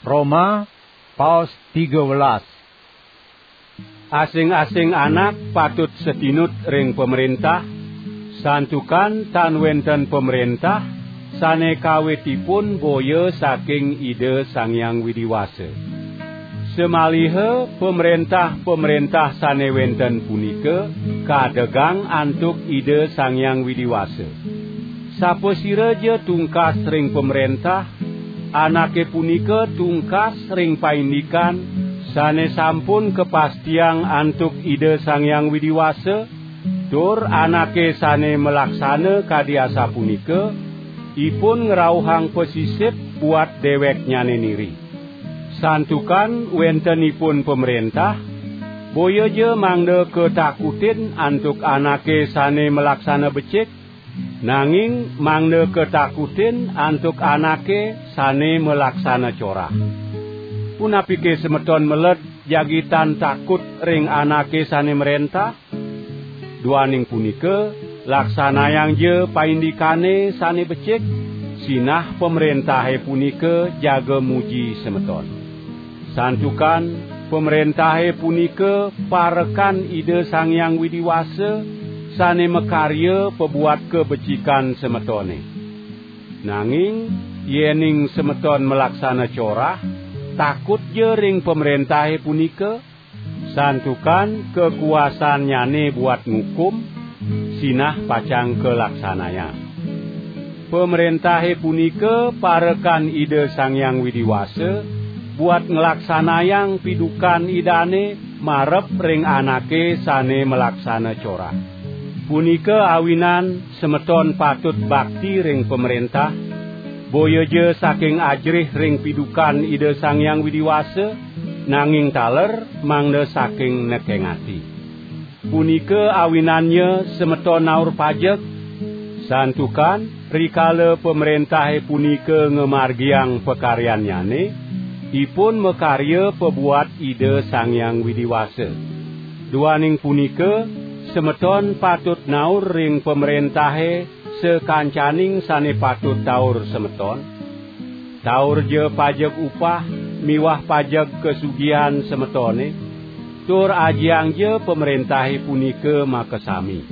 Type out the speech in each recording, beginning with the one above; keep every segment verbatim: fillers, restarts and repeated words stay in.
Roma, paos tiga welas. Asing-asing anak patut satinut ring pamréntah, santukan tan wénten pamréntah sané kawitipun boya saking Ida Sang Hyang Widi Wasa. Samaliha pamréntah-pamréntah sané wénten punika kadegang antuk Ida Sang Hyang Widi Wasa. Sapasiraja tungkas ring pamréntah, anaké punika tungkas ring paindikan sané sampun kapastiang antuk Ida Sang Hyang Widi Wasa, tur anaké sané malaksana kadi asapunika, ipun ngrauhang pasisip buat déwéknyané niri. Santukan wéntenipun pamréntah, boya ja mangda katakutin antuk anaké sané malaksana becik, nanging mangda katakutin antuk anaké sané malaksana corah. Punapike semeton meled jagi tan takut ring anaké sané mréntah? Duaning punika, laksanayangja paindikané sané becik, sinah pamréntahé punika jaga muji semeton. Santukan pamréntahé punika parekan Ida Sang Hyang Widi Wasa sané makarya pabuat kabecikan semetoné. Nanging yéning semeton malaksana corah, takutja ring pamréntahé punika, santukan kakuasannyané buat ngukum, sinah pacang kalaksanayang. Pamréntahé punika parekan Ida Sang Hyang Widi Wasa buat nglaksanayang pidukan Idané marep ring anaké sané malaksana corah. Punika awinan semeton patut bakti ring pamréntah, boya ja saking ajrih ring pidukan Ida Sang Hyang Widi Wasa, nanging taler mangda saking nekeng ati. Punika awinannya semeton naur pajeg, santukan rikala pamréntahé punika ngamargiang pakaryannyane, ipun makarya pabuat Ida Sang Hyang Widi Wasa. Duaning punika, semeton patut naur ring pamréntahé sakancaning sane patut taur semeton. Taurja pajeg upah miwah pajeg kasugihan semetone, tur ajiangja pamrentahe punika makasami.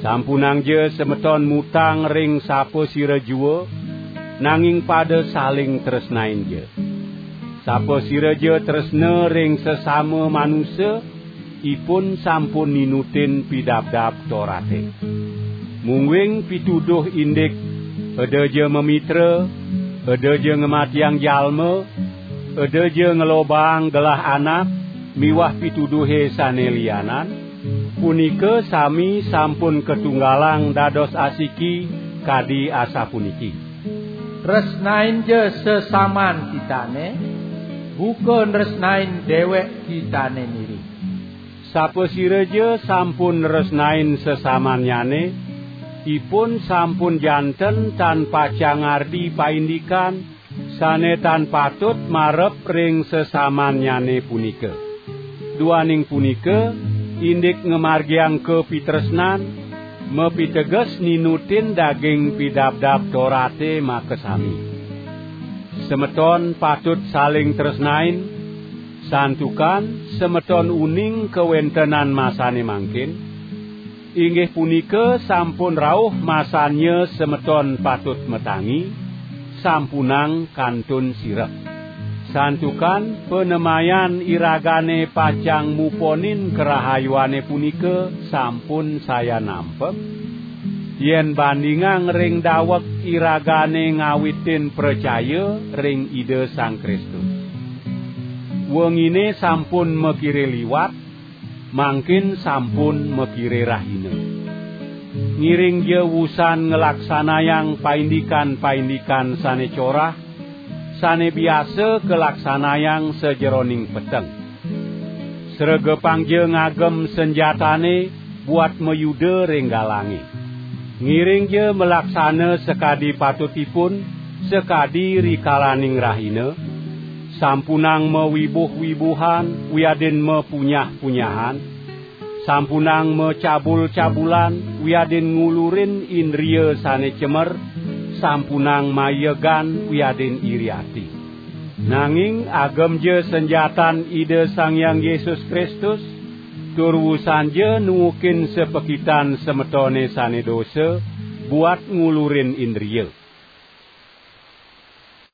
Sampunangja semeton mutang ring sapasira jua, nanging pada saling tresnainja. Sapasiraja tresna ring sesama manusa, ipun sampun ninutin Pidabdab Torate. Mungguing pituduh indik, "Edaja mamitra, edaja ngamatiang jalma, edaja ngelobaang gelah anak," miwah pituduhe sane lianan, punika sami sampun katunggalang dados asiki kadi asapuniki. Tresnainja sesaman kitane, buka nresnain dewek kitane niri. Sapasiraja sampun nresnain sesamannyane, ipun sampun janten tan pacang ngardi paindikan sane tan patut marep ring sesamannyane punika. Duaning punika, indik ngamargiang kapitresnan, mapiteges ninutin daging Pidabdab Torate makasami. Semeton patut saling tresnain, santukan semeton uning kawentenan masane mangkin, inggih punika sampun rauh masannya semeton patut matangi, sampunang kantun sirep. Santukan panemayan iragane pacang muponin karahayuane punika sampun sayan nampek, yen bandingang ring daweg iragane ngawitin pracaya ring Ida Sang Kristus. Wengine sampun makire liwat, mangkin sampun makire rahina. Ngiringja wusan nglaksanayang paindikan-paindikan sane corah, sane biasa kalaksanayang sajeroning peteng. Sregepangja ngagem sanjatane buat mayuda ring galange. Ngiringja malaksana sakadi patutipun, sakadi rikalaning rahina, sampunang mawibuh-wibuhan wiadin mapunyah-punyahan, sampunang macabul-cabulan wiadin ngulurin indria sane cemer, sampunang mayegan wiadin iri ati. Nanging agemja sanjatan Ida Sang Hyang Yesus Kristus, tur wusanja nuukin sapakitan semetone sane dosa buat ngulurin indria.